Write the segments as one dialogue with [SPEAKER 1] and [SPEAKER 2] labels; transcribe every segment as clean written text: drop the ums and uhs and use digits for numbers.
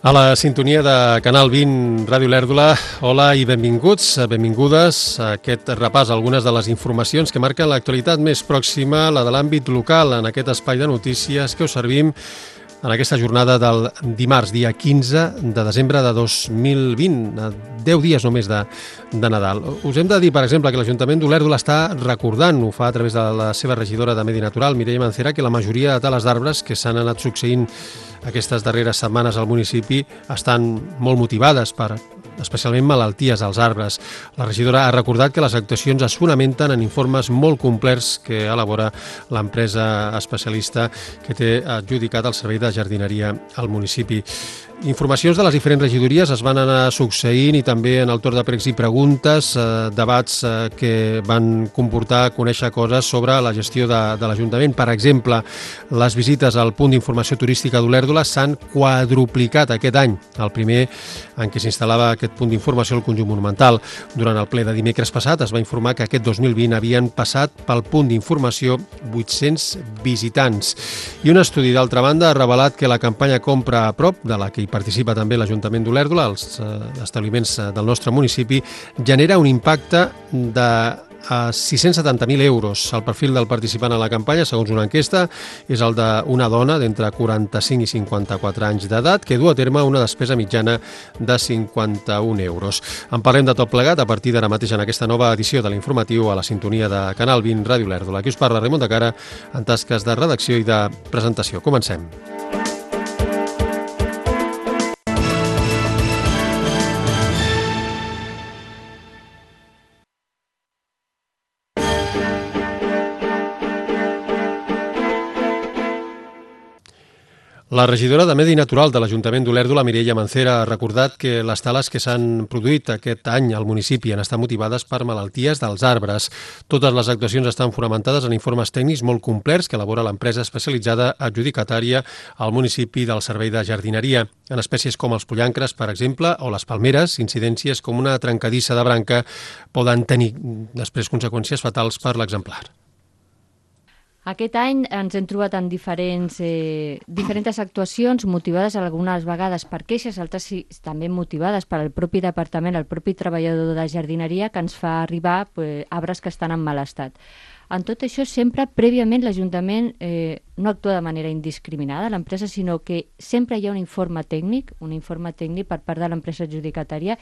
[SPEAKER 1] A la sintonia de Canal 20 Ràdio Lèrdula, hola i benvinguts, benvingudes a aquest repàs a algunes de les informacions que marquen l'actualitat més pròxima, la de l'àmbit local, en aquest espai de notícies que us servim en aquesta jornada del dimarts, dia 15 de desembre de 2020, 10 dies només de Nadal. Us hem de dir, per exemple, que l'Ajuntament d'Olèrdola està recordant, ho fa a través de la seva regidora de Medi Natural, Mireia Mancera, que la majoria de tales d'arbres que s'han anat succeint aquestes darreres setmanes al municipi estan molt motivades per especialment malalties als arbres. La regidora ha recordat que les actuacions es fonamenten en informes molt complets que elabora l'empresa especialista que té adjudicat el servei de jardineria al municipi. Informacions de les diferents regidories es van anar succeint i també en el torn de pregs i preguntes, debats que van comportar conèixer coses sobre la gestió de l'Ajuntament. Per exemple, les visites al punt d'informació turística d'Olèrdola s'han quadruplicat aquest any, el primer en què s'instal·lava aquest punt d'informació al conjunt monumental. Durant el ple de dimecres passat es va informar que aquest 2020 havien passat pel punt d'informació 800 visitants. I un estudi, d'altra banda, ha revelat que la campanya Compra a prop, de la que participa també l'Ajuntament d'Olèrdola, els establiments del nostre municipi, genera un impacte de 670.000 euros. El perfil del participant a la campanya, segons una enquesta, és el d'una dona d'entre 45 i 54 anys d'edat que du a terme una despesa mitjana de 51 euros. En parlem de tot plegat a partir d'ara mateix en aquesta nova edició de l'informatiu a la sintonia de Canal 20 Ràdio Olèrdola. Aquí us parla Raimon de Cara en tasques de redacció i de presentació. Comencem. La regidora de Medi Natural de l'Ajuntament d'Olèrdola, Mireia Mancera, ha recordat que les tales que s'han produït aquest any al municipi han estat motivades per malalties dels arbres. Totes les actuacions estan fonamentades en informes tècnics molt complets que elabora l'empresa especialitzada adjudicatària al municipi del servei de jardineria. En espècies com els pollancres, per exemple, o les palmeres, incidències com una trencadissa de branca poden tenir després conseqüències fatals per l'exemplar.
[SPEAKER 2] Aquest any ens hem trobat en diferents actuacions motivades algunes vegades per queixes, altres també motivades per al propi departament, el propi treballador de jardineria que ens fa arribar arbres que estan en mal estat. En tot això, sempre, prèviament, l'Ajuntament no actua de manera indiscriminada, l'empresa, sinó que sempre hi ha un informe tècnic per part de l'empresa adjudicatària,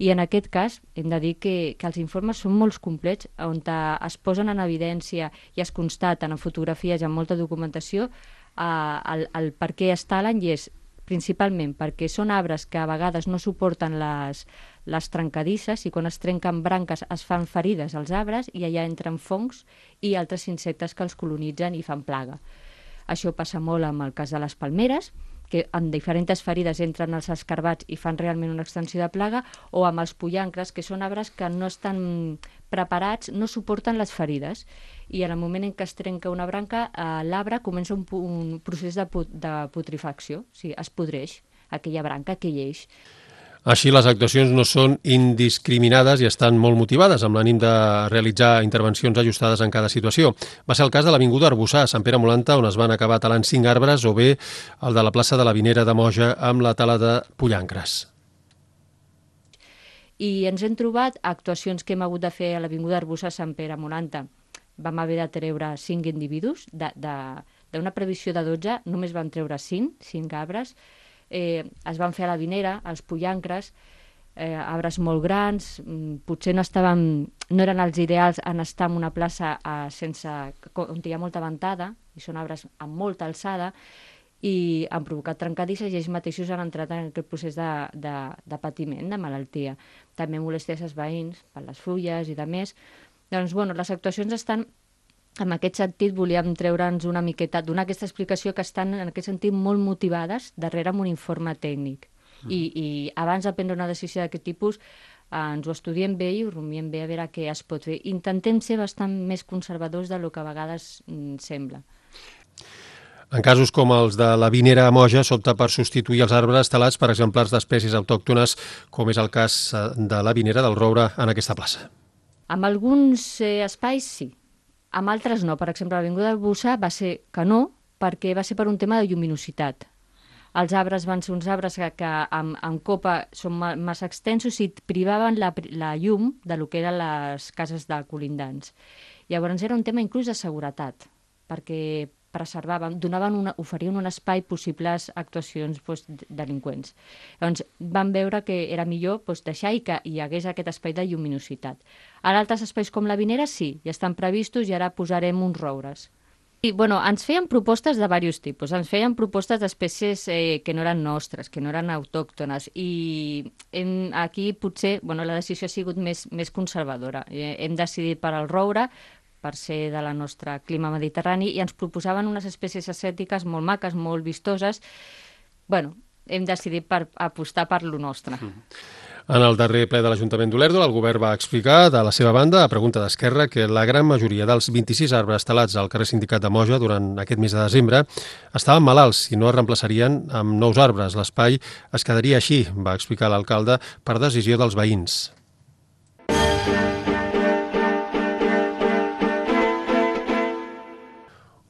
[SPEAKER 2] i en aquest cas hem de dir que els informes són molt complets, on es posen en evidència i es constaten en fotografies i en molta documentació el per què es talen, i és principalment perquè són arbres que a vegades no suporten les trencadisses, i quan es trenquen branques es fan ferides als arbres i allà entren fongs i altres insectes que els colonitzen i fan plaga. Això passa molt amb el cas de les palmeres, que en diferents ferides entren els escarbats i fan realment una extensió de plaga, o amb els pollancres, que són arbres que no estan preparats, no suporten les ferides, i en el moment en què es trenca una branca, l'arbre comença un procés de putrefacció, o sigui, es podreix aquella branca, aquell eix.
[SPEAKER 1] Així, les actuacions no són indiscriminades i estan molt motivades, amb l'ànim de realitzar intervencions ajustades en cada situació. Va ser el cas de l'Avinguda Arbussar, a Sant Pere Molanta, on es van acabar talant 5 arbres, o bé el de la plaça de la Vinera de Moja amb la tala de pollancres.
[SPEAKER 2] I ens hem trobat actuacions que hem hagut de fer a l'Avinguda Arbussar a Sant Pere Molanta. Vam haver de treure 5 individus, d'una previsió de 12, només vam treure 5 arbres. Es van fer a la Vinera, els pollancres, arbres molt grans, potser no eren els ideals en estar en una plaça on hi ha molta ventada, i són arbres amb molta alçada, i han provocat trencadisses, i ells mateixos han entrat en aquest procés de patiment, de malaltia. També molèsties als veïns, per les fulles i de més. Doncs, les actuacions estan... En aquest sentit, volíem treure'ns una miqueta, donar aquesta explicació, que estan, en aquest sentit, molt motivades darrere amb un informe tècnic. I abans de prendre una decisió d'aquest tipus, ens ho estudiem bé i ho rumiem bé a veure què es pot fer. Intentem ser bastant més conservadors del que a vegades sembla.
[SPEAKER 1] En casos com els de la Vinera a Moja, s'opta per substituir els arbres talats per exemplars d'espècies autòctones, com és el cas de la Vinera del Roure en aquesta plaça.
[SPEAKER 2] En alguns espais, sí. Amb altres no. Per exemple, l'Avinguda Arbussar va ser que no, perquè va ser per un tema de lluminositat. els arbres van ser uns arbres que en copa són massa extensos i privaven la llum de lo que eren les cases de colindants. Llavors era un tema inclús de seguretat, perquè preservaven, oferien un espai possibles actuacions delinqüents. Llavors van veure que era millor deixar i que hi hagués aquest espai de lluminositat. Ara altres espais com la Vinera sí, ja estan previstos i ara posarem uns roures. I, ens feien propostes de diversos tipus. Ens feien propostes d'espècies que no eren nostres, que no eren autòctones. I aquí potser la decisió ha sigut més conservadora. Hem decidit per al roure, per ser de la nostra clima mediterrani, i ens proposaven unes espècies ascètiques molt maques, molt vistoses. Hem decidit apostar per lo nostre.
[SPEAKER 1] En el darrer ple de l'Ajuntament d'Olèrdola, el govern va explicar, de la seva banda, a pregunta d'Esquerra, que la gran majoria dels 26 arbres talats al carrer Sindicat de Moja durant aquest mes de desembre estaven malalts i no es reemplaçarien amb nous arbres. L'espai es quedaria així, va explicar l'alcalde, per decisió dels veïns.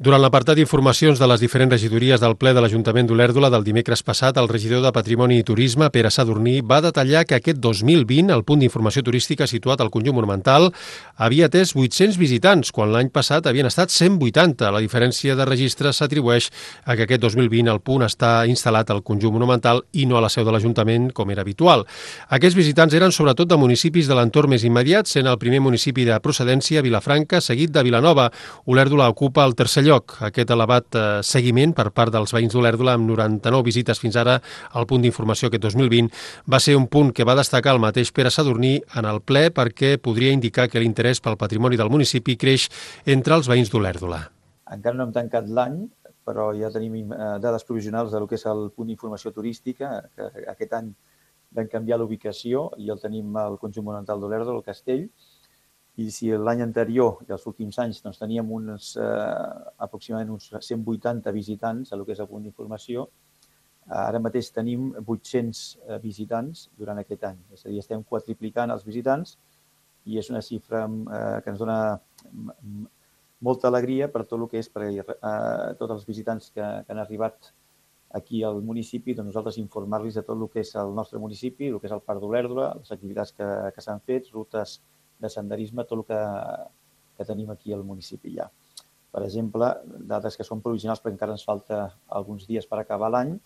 [SPEAKER 1] Durant l'apartat d'informacions de les diferents regidories del ple de l'Ajuntament d'Olèrdola del dimecres passat, el regidor de Patrimoni i Turisme, Pere Sadurní, va detallar que aquest 2020 el punt d'informació turística situat al conjunt monumental havia atès 800 visitants, quan l'any passat havien estat 180. La diferència de registre s'atribueix a que aquest 2020 el punt està instal·lat al conjunt monumental i no a la seu de l'Ajuntament, com era habitual. Aquests visitants eren sobretot de municipis de l'entorn més immediat, sent el primer municipi de procedència Vilafranca, seguit de Vilanova. Olèrdola ocupa el tercer lloc. Aquest elevat seguiment per part dels veïns d'Olèrdola, amb 99 visites fins ara al punt d'informació aquest 2020, va ser un punt que va destacar el mateix Pere Sadurní en el ple perquè podria indicar que l'interès pel patrimoni del municipi creix entre els veïns d'Olèrdola.
[SPEAKER 3] Encara no hem tancat l'any, però ja tenim dades provisionals del que és el punt d'informació turística, que aquest any vam canviar l'ubicació i el tenim al conjunt monumental d'Olèrdola, al Castell. I si l'any anterior i els últims anys teníem aproximadament uns 180 visitants a lo que és el punt d'informació, ara mateix tenim 800 visitants durant aquest any. És a dir, estem quadriplicant els visitants i és una xifra que ens dona molta alegria per tot el que és per tots els visitants que han arribat aquí al municipi, doncs nosaltres informar-los de tot el que és el nostre municipi, el que és el Parc d'Olèrdola, les activitats que s'han fet, rutes de senderisme, tot el que tenim aquí al municipi ja. Per exemple, dades que són provisionals perquè encara ens falta alguns dies per acabar l'any,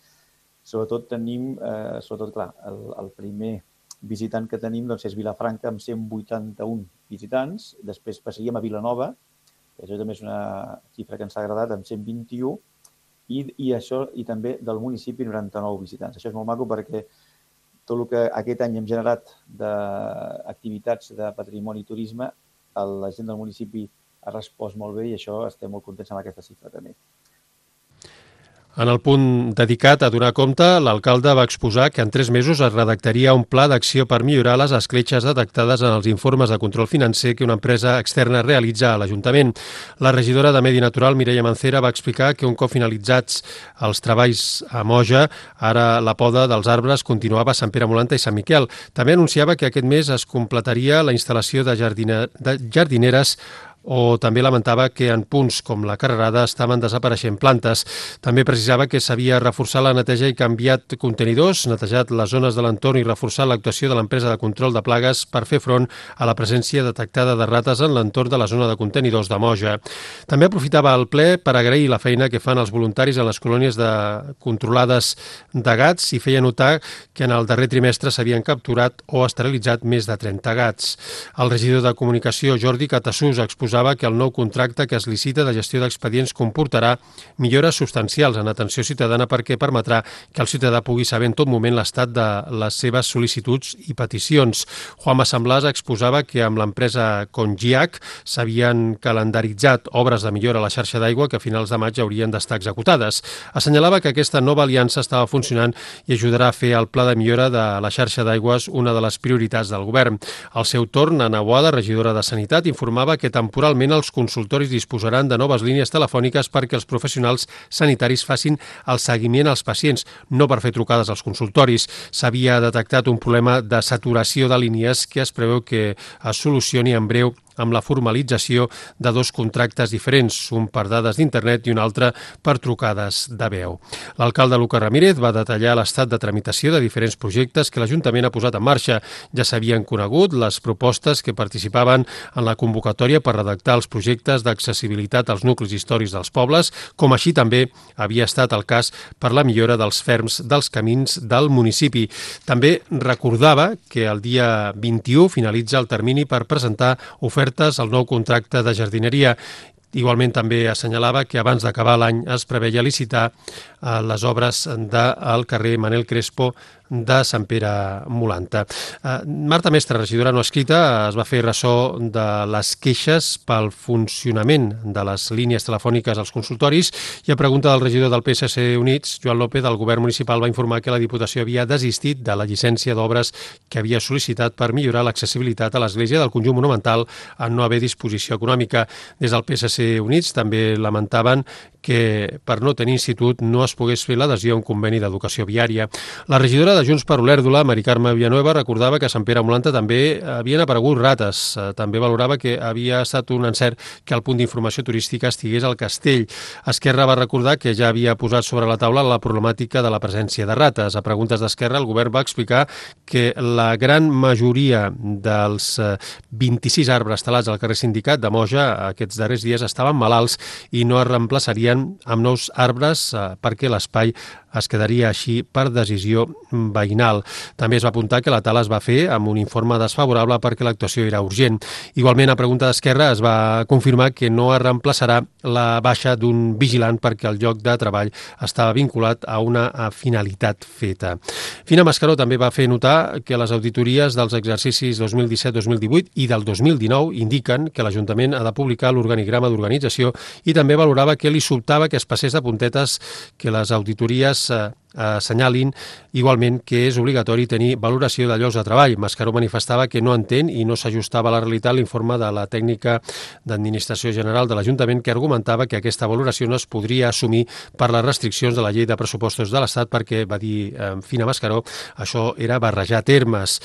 [SPEAKER 3] sobretot tenim, el primer visitant que tenim és Vilafranca amb 181 visitants, després passaríem a Vilanova, que això també és una xifra que ens ha agradat, amb 121, i també del municipi 99 visitants. Això és molt maco perquè tot el que aquest any hem generat d'activitats de patrimoni i turisme, la gent del municipi ha respost molt bé i això estem molt contents amb aquesta xifra també.
[SPEAKER 1] En el punt dedicat a donar compte, l'alcalde va exposar que en 3 mesos es redactaria un pla d'acció per millorar les escletxes detectades en els informes de control financer que una empresa externa realitza a l'Ajuntament. La regidora de Medi Natural, Mireia Mancera, va explicar que un cop finalitzats els treballs a Moja, ara la poda dels arbres continuava a Sant Pere Molanta i Sant Miquel. També anunciava que aquest mes es completaria la instal·lació de jardineres o també lamentava que en punts com la Carrerada estaven desapareixent plantes. També precisava que s'havia reforçat la neteja i canviat contenidors, netejat les zones de l'entorn i reforçat l'actuació de l'empresa de control de plagues per fer front a la presència detectada de rates en l'entorn de la zona de contenidors de Moja. També aprofitava el ple per agrair la feina que fan els voluntaris en les colònies controlades de gats i feia notar que en el darrer trimestre s'havien capturat o esterilitzat més de 30 gats. El regidor de Comunicació, Jordi Catassús, exposava que el nou contracte que es licita de gestió d'expedients comportarà millores substancials en atenció ciutadana perquè permetrà que el ciutadà pugui saber en tot moment l'estat de les seves sol·licituds i peticions. Juanma Samblàs exposava que amb l'empresa Congiac s'havien calendaritzat obres de millora a la xarxa d'aigua que a finals de maig haurien d'estar executades. Assenyalava que aquesta nova aliança estava funcionant i ajudarà a fer el pla de millora de la xarxa d'aigües una de les prioritats del govern. Al seu torn, Ana Boada, regidora de Sanitat, informava que temporalment els consultoris disposaran de noves línies telefòniques perquè els professionals sanitaris facin el seguiment als pacients, no per fer trucades als consultoris. S'havia detectat un problema de saturació de línies que es preveu que es solucioni en breu amb la formalització de 2 contractes diferents, un per dades d'internet i un altre per trucades de veu. L'alcalde Lucas Ramírez va detallar l'estat de tramitació de diferents projectes que l'Ajuntament ha posat en marxa. Ja s'havien conegut les propostes que participaven en la convocatòria per redactar els projectes d'accessibilitat als nuclis històrics dels pobles, com així també havia estat el cas per la millora dels ferms dels camins del municipi. També recordava que el dia 21 finalitza el termini per presentar ofertes al nou contracte de jardineria. Igualment també assenyalava que abans d'acabar l'any es preveia licitar les obres del carrer Manel Crespo de Sant Pere Molanta. Marta Mestre, regidora no escrita, es va fer ressò de les queixes pel funcionament de les línies telefòniques als consultoris i a pregunta del regidor del PSC Units, Joan López, el govern municipal va informar que la Diputació havia desistit de la llicència d'obres que havia sol·licitat per millorar l'accessibilitat a l'església del conjunt monumental en no haver disposició econòmica. Des del PSC Units també lamentaven que per no tenir institut no es pogués fer l'adhesió a un conveni d'educació viària. La regidora de Junts per Olèrdola, Mari Carme Villanueva, recordava que a Sant Pere Molanta també havien aparegut rates. També valorava que havia estat un encert que el punt d'informació turística estigués al castell. Esquerra va recordar que ja havia posat sobre la taula la problemàtica de la presència de rates. A preguntes d'Esquerra, el govern va explicar que la gran majoria dels 26 arbres talats al carrer Sindicat de Moja aquests darrers dies estaven malalts i no es reemplaçarien amb nous arbres perquè l'espai es quedaria així per decisió veïnal. També es va apuntar que la tala es va fer amb un informe desfavorable perquè l'actuació era urgent. Igualment, a pregunta d'Esquerra es va confirmar que no es reemplaçarà la baixa d'un vigilant perquè el lloc de treball estava vinculat a una finalitat feta. Fina Mascaró també va fer notar que les auditories dels exercicis 2017-2018 i del 2019 indiquen que l'Ajuntament ha de publicar l'organigrama d'organització i també valorava que li sobtava que es passés de puntetes que les auditories assenyalin igualment que és obligatori tenir valoració de llocs de treball. Mascaró manifestava que no entén i no s'ajustava a la realitat l'informe de la tècnica d'Administració General de l'Ajuntament que argumentava que aquesta valoració no es podria assumir per les restriccions de la llei de pressupostos de l'Estat perquè, va dir Fina Mascaró, això era barrejar termes.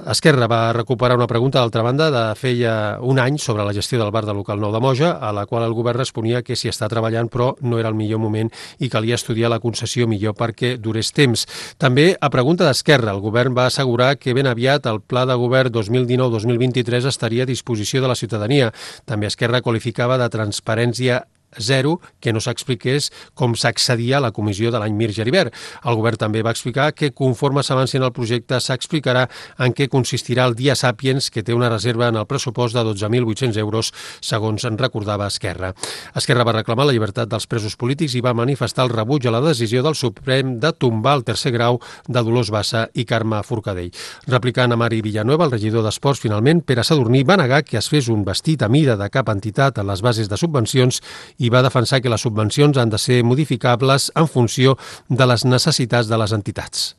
[SPEAKER 1] Esquerra va recuperar una pregunta d'altra banda de feia un any sobre la gestió del bar del local nou de Moja, a la qual el govern responia que s'hi està treballant però no era el millor moment i calia estudiar la concessió millor perquè durés temps. També, a pregunta d'Esquerra, el govern va assegurar que ben aviat el Pla de Govern 2019-2023 estaria a disposició de la ciutadania. També Esquerra qualificava de transparència zero que no s'expliqués com s'accedia a la comissió de l'any Mir-Geribert. El govern també va explicar que conforme s'avanci en el projecte s'explicarà en què consistirà el Dia Sàpiens, que té una reserva en el pressupost de 12.800 euros, segons en recordava Esquerra. Esquerra va reclamar la llibertat dels presos polítics i va manifestar el rebuig a la decisió del Suprem de tombar el tercer grau de Dolors Bassa i Carme Forcadell. Replicant a Mari Villanueva, el regidor d'Esports, finalment, Pere Sadurní, va negar que es fes un vestit a mida de cap entitat en les bases de subvencions i va defensar que les subvencions han de ser modificables en funció de les necessitats de les entitats.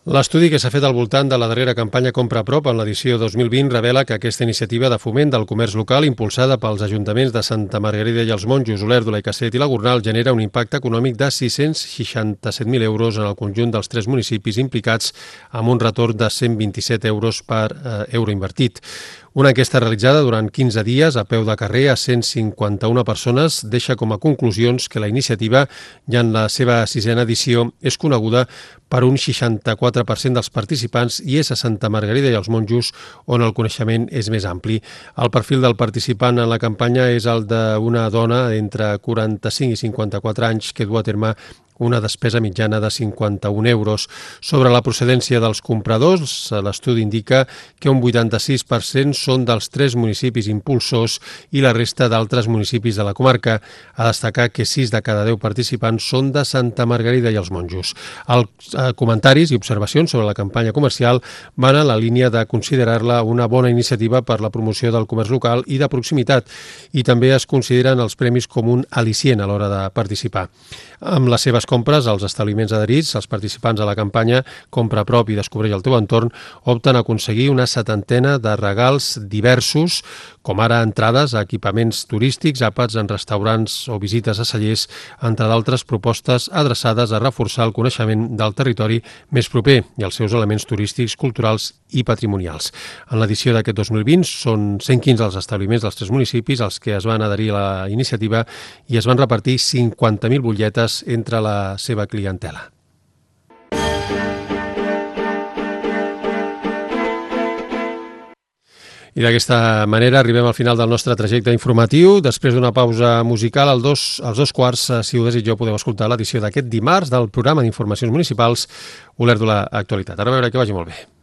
[SPEAKER 1] L'estudi que s'ha fet al voltant de la darrera campanya Compra a Prop en l'edició 2020 revela que aquesta iniciativa de foment del comerç local impulsada pels ajuntaments de Santa Margarida i els Monjos, Olèrdola i Castellet i la Gornal genera un impacte econòmic de 667.000 euros en el conjunt dels 3 municipis implicats amb un retorn de 127 euros per euro invertit. Una enquesta realitzada durant 15 dies a peu de carrer a 151 persones deixa com a conclusions que la iniciativa, ja en la seva 6a edició, és coneguda per un 64% dels participants i és a Santa Margarida i els Monjos on el coneixement és més ampli. El perfil del participant en la campanya és el d'una dona entre 45 i 54 anys que du a terme una despesa mitjana de 51 euros. Sobre la procedència dels compradors, l'estudi indica que un 86% són dels 3 municipis impulsors i la resta d'altres municipis de la comarca. A destacar que 6 de cada 10 participants són de Santa Margarida i els Monjos. Els comentaris i observacions sobre la campanya comercial van a la línia de considerar-la una bona iniciativa per la promoció del comerç local i de proximitat i també es consideren els premis com un al·licient a l'hora de participar. Amb les seves compres, els establiments adherits, els participants a la campanya Compra a prop i descobreix el teu entorn, opten a aconseguir una 70 de regals diversos, com ara entrades a equipaments turístics, àpats en restaurants o visites a cellers, entre d'altres propostes adreçades a reforçar el coneixement del territori més proper i els seus elements turístics, culturals i patrimonials. En l'edició d'aquest 2020 són 115 els establiments dels 3 municipis els que es van adherir a la iniciativa i es van repartir 50.000 butlletes entre la seva clientela. I d'aquesta manera arribem al final del nostre trajecte informatiu. Després d'una pausa musical, als dos quarts, si ho desitgeu, podeu escoltar l'edició d'aquest dimarts del programa d'informacions municipals Olèrdola Actualitat. Ara a veure que vagi molt bé.